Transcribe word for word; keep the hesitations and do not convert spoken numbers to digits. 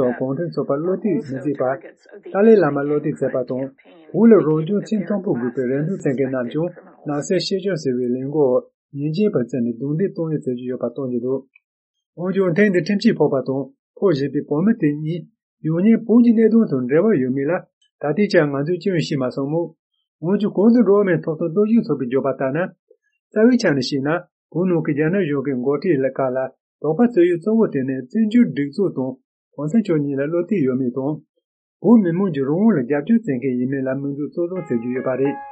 དང་གུང་ཁྲན་ཚོགས་པར་བློ་གཏད་མི་བྱེད་པར། ཏཱ་ལའི་བླ་མར་བློ་གཏད་བྱས་པ་དང་། བོད་ལ་རང་སྐྱོང་ཆེས་མཐོན་པོ་དགོས་པའི་རེ་འདུན་བྱེད་མཁན་རྣམས་ཀྱང་ནག་སེལ་ཤེས་བྱ་ཟེར་བའི་ལས་འགུལ་འོག་ཉེས་ཅན་པར་བརྩིས་ནས་རྡུང་རྡེག་གཏོང་ཡུལ་བྱེད་ཀྱི་ཡོད་པ་སྟོན་གྱི་འདུག་འོན་ཀྱང་ཐེངས་འདིར་ཁྲིམས་ཆད་ཕོག་པ་དང་ཕོག་བཞིན་པའི་བོད་མི་དེ་གཉིས་ཡང་སྙིང་བོད་ཀྱི་གནད་དོན་དང་འབྲེལ་བ་ཡོད་མེད་ལ་ད་ལྟའི་ཆར་ང་ཚོས་ཅི་ཡང་ཤེས་མ་སོང་མོད། འོན་ཀྱང་གོང་དུ་འགྲོ་བ་མིའི་ཐོབ་ཐང་རྟོག་ཞིབ་ཚོགས་པས་བརྗོད་པ་ལྟར་ན། རྩ་བའི་ཆ་ནས་བཤད་ན་བོད་ནང་གི་རྒྱ་ནག་གཞུང་གི་འགོ་ཁྲིད་ལ་ཁག་ལ་དོགས་པ་བྱེད་ཡུལ་གཙོ་བོ་དེ་ནི་བཙན་བྱོལ་སྒྲིག་འཛུགས་དང་གོང་ས་མཆོག་གཉིས་ལ་བློ་གཏད་ཡོད་མེད་དང་། བོད་མི་མང་གི་རང་དབང་ལ་རྒྱབ་སྐྱོར་བྱེད་མཁན་ཡིན་མིན་ལ་དམིགས་འཛུགས་གཙོ་བཟུང་བྱེད་རྒྱུ་ཡོད་པ་རེད།